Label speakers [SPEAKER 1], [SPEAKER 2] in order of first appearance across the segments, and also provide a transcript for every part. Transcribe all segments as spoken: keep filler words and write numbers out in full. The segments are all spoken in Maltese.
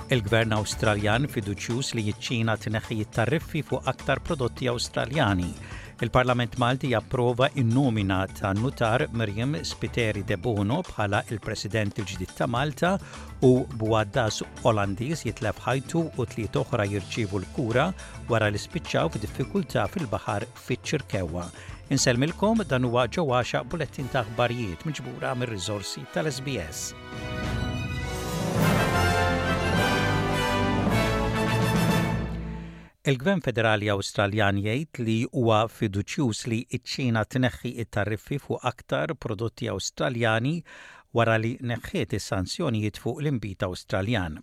[SPEAKER 1] Il-Gvern Awstraljan fiduċjuż li ċ-Ċina tneħħi t-tariffi fuq aktar prodotti Awstraljani. Il-Parlament Malti japprova in-nomina ta' nutar Myriam Spiteri Debono bħala il-President il-ġdid ta' Malta u bugħaddas Olandiż jitlef ħajtu u tliet oħra jirċievu l-kura wara li spiċċaw f'diffikultà fil-baħar fiċ-Ċirkewwa. Insellmilkom, dan huwa ġewwaxa bulettin ta' aħbarijiet miġbura mir-riżorsi tal-S B S. Il-Gvern Federali Awstraljan jgħid li huwa fiduċjuż li ċ-Ċina tneħħi it-tariffi fuq aktar prodotti Awstraljani wara li neħħiet is-sanzjonijiet fuq l-inbid Awstraljan.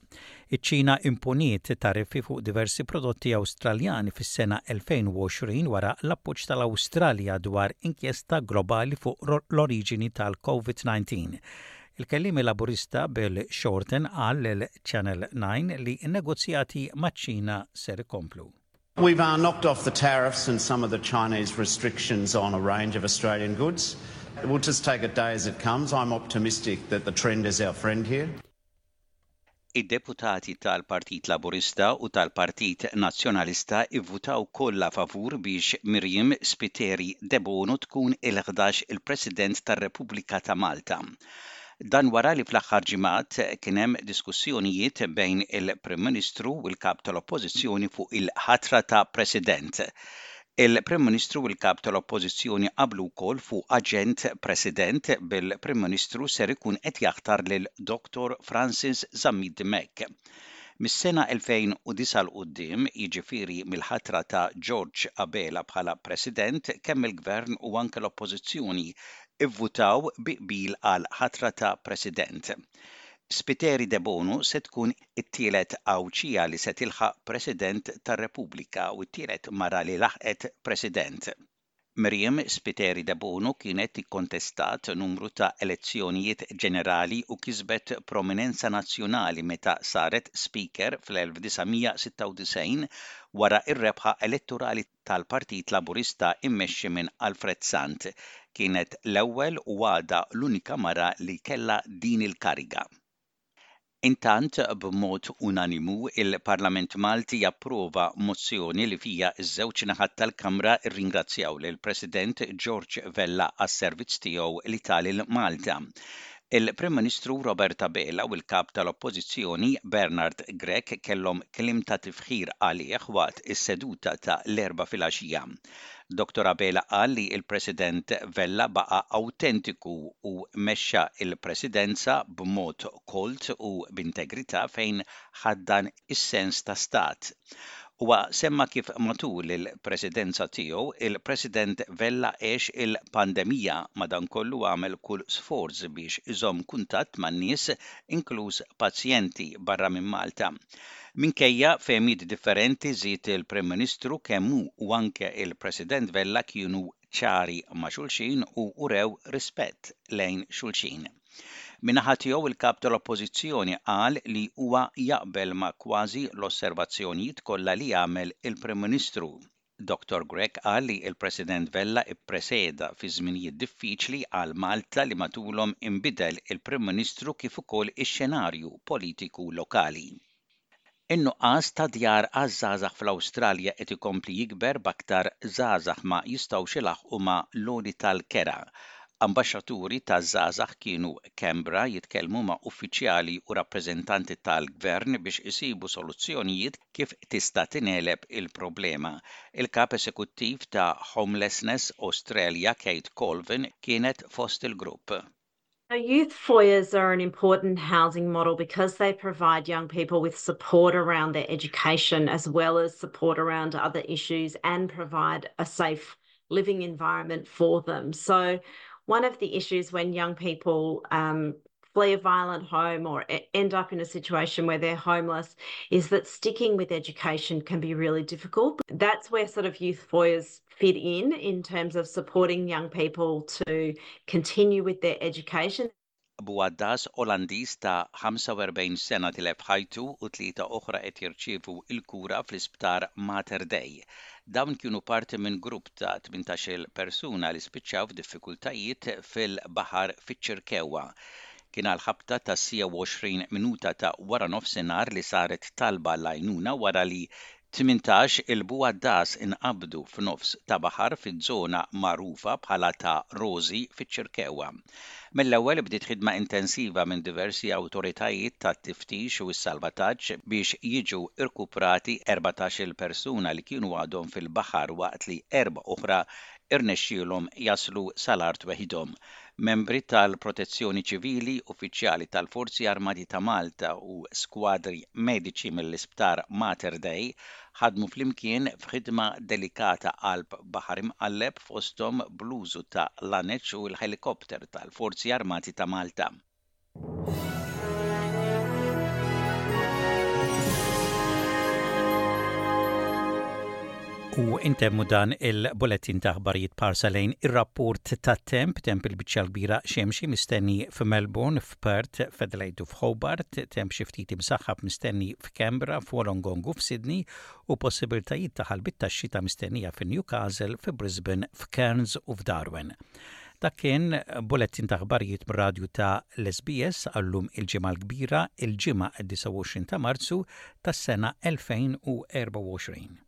[SPEAKER 1] Iċ-Ċina imponiet tariffi fuq diversi prodotti Awstraljani fis-sena elfejn u għoxrin wara l-appoġġ tal-Awstralja dwar inkjesta globali fuq l-oriġini tal-COVID disa. Il-kellimi Laburista Bill Shorten qal lil Channel nine li n-negozjati maċ-Ċina ser ikomplu.
[SPEAKER 2] We've uh, knocked off the tariffs and some of the Chinese restrictions on a range of Australian goods. We'll just take it day as it comes. I'm optimistic that the trend is our friend here.
[SPEAKER 1] Id-deputati tal-Partit Laburista u tal-Partit Nazzjonalista ivvutaw kollha favur biex Myriam Spiteri Debono tkun il-ħdax il-President tar-Repubblika ta' Malta. Dan wara li fl-aħħar ġimgħat kien hemm diskussjonijiet bejn il-Prim Ministru u l-Kap tal-Oppożizzjoni fuq il-ħatra ta' President. Il-Prim Ministru u l-Kap tal-Oppożizzjoni qablu wkoll fuq aġent President, bil-Prim Ministru ser ikun qed jaħtar lil Doctor Francis Zammit Dimech. Mis-sena elfejn u disgħa 'l quddiem, jiġifieri mill-ħatra ta' George Abela bħala President, kemm il-Gvern u anke l-Oppożizzjoni ivvutaw bi qbil għal ħatra ta' President. Spiteri Debono se tkun it-tielet Għawdxija li se tilħaq President tar-Repubblika u t-tielet mara li laħqet President. Myriam Spiteri Debono kienet ikkontestat numru ta' elezzjonijiet ġenerali u kisbet prominenza nazzjonali meta saret Speaker fl-elf disa' mija sitta u disgħin wara ir-rebħa elettorali tal-Partit Laburista immexxi minn Alfred Sant. Kienet l-ewwel u għadha l-unika mara li kellha din il-kariga. Intant, b'mod unanimu, il-Parlament Malti japprova mozzjoni li fija iż-żewġ naħat tal-Kamra rringrazzjaw lil President George Vella għas-servizz tiegħu li ta lil Malta. Il-Prim Ministru Robert Abela u l-Kap tal-Oppożizzjoni Bernard Grech kellhom kliem ta' tifħir għalih waqt is-seduta ta' l-Erbgħa filgħaxija. Doctor Abela qal li il-President Vella baqa' autentiku u mexxa il-Presidenza b'mod kolt u b'integrità fejn ħaddan is-sens ta' stat. Huwa semma kif matul il-presidenza tiegħu il-President Vella għex il-pandemija, madankollu għamel kull sforz biex iżomm kuntatt man-nies, inkluż pazjenti barra minn Malta. Minkejja fehmiet differenti, żied il-Prim Ministru, kemm hu u anke il-President Vella kienu ċari ma' xulxin u urew rispett lejn xulxin. Min-naħa tiegħu, il-kap tal-Oppożizzjoni qal li huwa jaqbel ma' kważi l-osservazzjonijiet kollha li jagħmel il-Prim Ministru. Doctor Grech qal li il-President Vella ippreseda fi żminijiet diffiċli għal Malta li matulhom inbidel il-Prim Ministru kif ukoll ix-xenarju politiku lokali. In-nuqqas ta' djar għaż-żgħażagħ fl-Awstralja qed ikompli jikber, b'aktar żgħażagħ ma jistgħux ilaħqu ma' l-għoli tal-kera. Ambaxxaturi ta' żgħażagħ kienu Canberra jitkellmu ma' uffiċjali u rappreżentanti tal-gvern biex isibu soluzzjonijiet kif tista' tingħeleb il-problema. Il-kap esekuttiv ta' Homelessness Australia, Kate Colvin, kienet fost il-grupp.
[SPEAKER 3] Youth foyers are an important housing model because they provide young people with support around their education as well as support around other issues and provide a safe living environment for them. So one of the issues when young people um, flee a violent home or end up in a situation where they're homeless is that sticking with education can be really difficult. That's where sort of youth foyers fit in, in terms of supporting young people to continue with their education.
[SPEAKER 1] Bugħaddas Olandiż ta' ħamsa u erbgħin sena tilef ħajtu u tlieta oħra qed jirċievu il-kura fl-isptar Mater Dei. Dawn kienu parti minn grupp ta' tmintax-il persuna li spiċċaw f'diffikultajiet fil-baħar fiċ-Ċirkewwa. Kien għal ħabta tas-siegħa u għoxrin minuta ta' waranofsinhar li saret talba għall-għajnuna wara li tmintax-il bugħaddas inqabdu f'nofs ta' baħar fiż-żona magħrufa bħala ta' Rożi fiċ-Ċirkewwa. Mill-ewwel bdiet ħidma intensiva minn diversi awtoritajiet tat-tiftix u s-salvataġġ biex jiġu rkuprati erbatax-il persuna li kienu għadhom fil-baħar waqt li erba' oħra irnexxielhom jaslu sal-art weħidhom. Membri tal-Protezzjoni Ċivili, uffiċjali tal-Forzi Armati ta' Malta u skwadri mediċi mill-Isptar Mater Dei ħadmu flimkien f'ħidma delikata qalb baħar imqalleb fosthom bl-użu ta' laneċ u l-ħelikopter tal-Forzi Armati ta' Malta. U intemmu dan il-bulletin ta' aħbarijiet b'ħarsa lejn ir-rapport tat-temp, temp il-biċċa l-kbira xemxi mistenni f'Melbourne, f'Perth, f'Adelaide u f'Hobart, temp xi ftit imsaħħab mistenni f'Canberra, f'Wollongong u f'Sydney u possibiltajiet ta' ħalbiet tax-xita mistennija f'Newcastle, f'Brisbane, f'Cairns u f'Darwin. Dak kien bulletin ta' aħbarijiet mir-radju ta' l-S B S għallum il-Ġimgħa l-Kbira, il-Ġimgħa disgħa u għoxrin ta' Marzu tas-sena elfejn u erbgħa u għoxrin.